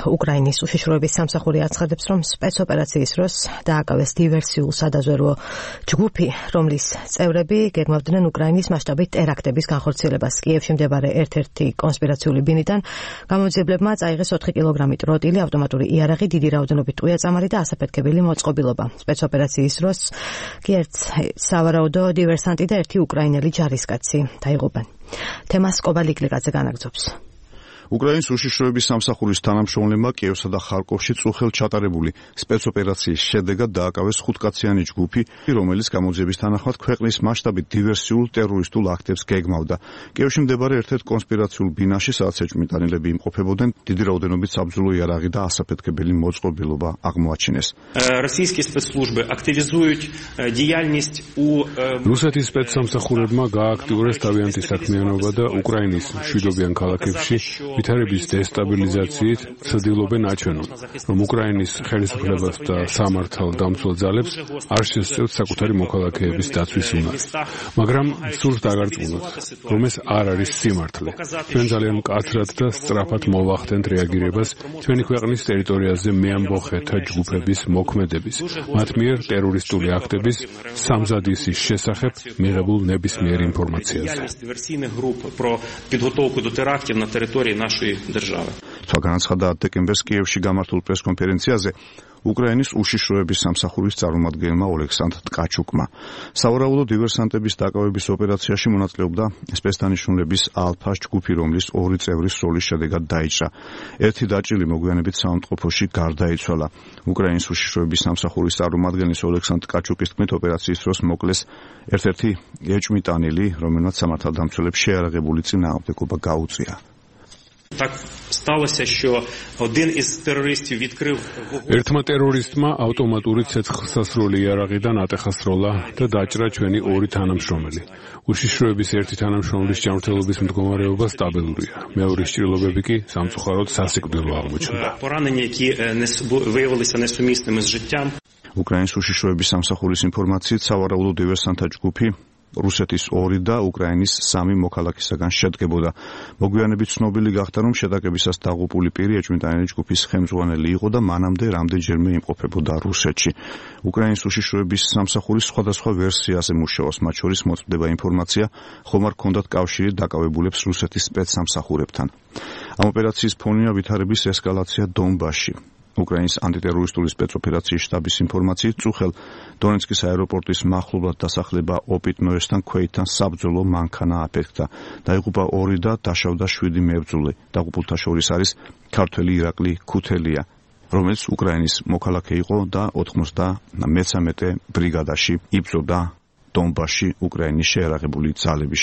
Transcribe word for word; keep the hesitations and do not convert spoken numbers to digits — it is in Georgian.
უკრაინის უშიშროების სამსახური აცხადებს, რომ სპეცოპერაციის დროს დააკავეს დივერსიულ სადაზვერვო ჯგუფი, რომლის წევრები გეგმავდნენ უკრაინის მასშტაბით ტერაქტების განხორციელებას. კიევში მდებარე ერთ-ერთი კონსპირაციული ბინიდან გამოძიებლებმა წაიღეს ოთხი კილოგრამი ტროტილი, ავტომატური იარაღი, დიდი რაოდენობით ტყვია-წამალი და ასაფეთქებელი მოწყობილობა. სპეცოპერაციის დროს კი ერთ სავარაუდო დივერსანტი და ერთი უკრაინელი ჯარისკაცი დაიღუპნენ. თემას კობალიკლიკაძე განაგრძობს. უკრაინის უშიშროების სამსახურის თანამშრომლებმა კიევსა და ხარკოვში წუხელ ჩატარებული სპეცოპერაციის შედეგად დააკავეს ხუთკაციანი ჯგუფი, რომელიც გამოძიების თანახმად ქვეყნის მასშტაბით დივერსიულ ტერორისტულ აქტებს გეგმავდა. კიევში მდებარე ერთ-ერთ კონსპირაციულ ბინაში, სადაც ეჭვმიტანილები იმყოფებოდნენ, დიდი რაოდენობით საბრძოლო იარაღი და ასაფეთქებელი მოწყობილობა აღმოაჩინეს. რუსეთის სპეცსამსახურებმა გააქტიურეს თავიანთი საქმიანობა და უკრაინის მშვიდობიან ქალაქებში ვითარების დესტაბილიზაციით ცდილობენ აჩვენონ, რომ უკრაინის ხელისუფლებას და სამართალ დამცველ ძალებს არ შესწევთ საკუთარი მოქალაქეების დაცვის უნარი. მაგრამ სურს დაგარწმუნოთ, რომ ეს არ არის სიმართლე. ჩვენ ძალიან მკაცრად და სწრაფად მოვახდენთ რეაგირებას ჩვენი ქვეყნის ტერიტორიაზე მეამბოხეთა ჯგუფების მოქმედების, მათ მიერ ტერორისტული აქტების სამზადისის შესახებ მიღებულ ნებისმიერ ინფორმაციაზე. სხვა განაცხადა დეკემბერს კიევში გამართულ პრესკონფერენციაზე უკრაინის უშიშროების სამსახურის წარმომადგენელმა ოლექსანდრ ტკაჩუკმა. სავარაუდო დივერსანტების დაკავების ოპერაციაში მონაწილეობდა სპეცდანიშნულების ალფას ჯგუფი, რომლის ორი წევრის როლის შედეგად დაიჭრა. ერთი დაჭრილი მოგვიანებით საავადმყოფოში გარდაიცვალა. უკრაინის უშიშროების სამსახურის წარმომადგენლის ოლექსანდრ ტკაჩუკის თქმით, ოპერაციის დროს მოკლეს ერთ-ერთი ეჭვმიტანილი, რომელმაც სამართალდამცველებს შეარაღებული წინააღმდეგობა გაუწია. ერთმა ტერორისტმა ავტომატური ცეცხლსასროლი იარაღიდან ატეხასროლა და დაჭრა ჩვენი ორი თანამშრომელი. უშიშროების ერთი თანამშრომლის ჯანმრთელობის მდგომარეობა სტაბილურია. მეორის ჭრილობები კი სამწუხაროდ სასიკვდილო აღმოჩნდა. უკრაინის უშიშროების სამსახურის ინფორმაციით, სავარაუდო დივერსანტთა ჯგუფი რუსეთის ორი და უკრაინის სამი მოქალაქისაგან შედგებოდა. მოგვიანებით ცნობილი გახდა, რომ შეტაკებისას დაღუპული პირი ეჭვმიტანილი ჯგუფის ხელმძღვანელი იყო და მანამდე რამდენჯერმე იმყოფებოდა რუსეთში. უკრაინის უშიშროების სამსახურის სხვადასხვა ვერსიაზე მუშაობს, მათ შორის მოწმდება ინფორმაცია, ხომ არ ჰქონდათ კავშირი დაკავებულებს რუსეთის სპეცსამსახურებთან. ამ ოპერაციის ფონია ვითარების ესკალაცია დონბასში. უკრაინის ანტიტერორისტული სპეცოპერაციის შტაბის ინფორმაციით, წუხელ დონეცკის აეროპორტის მახლობლად დასახლება ოპიტნოესთან ქვეითთან საბრძოლო მანქანა აფეთქდა. დაიღუპა ორი და დაშავდა შვიდი მებრძოლი. დაღუპულთა შორის არის ქართველი ირაკლი ქუთელია, რომელიც უკრაინის მოქალაქე იყო და ოთხმოცდამეცამეტე ბრიგადაში იბრძოდა დონბასში უკრაინის შეერაღებული ძალების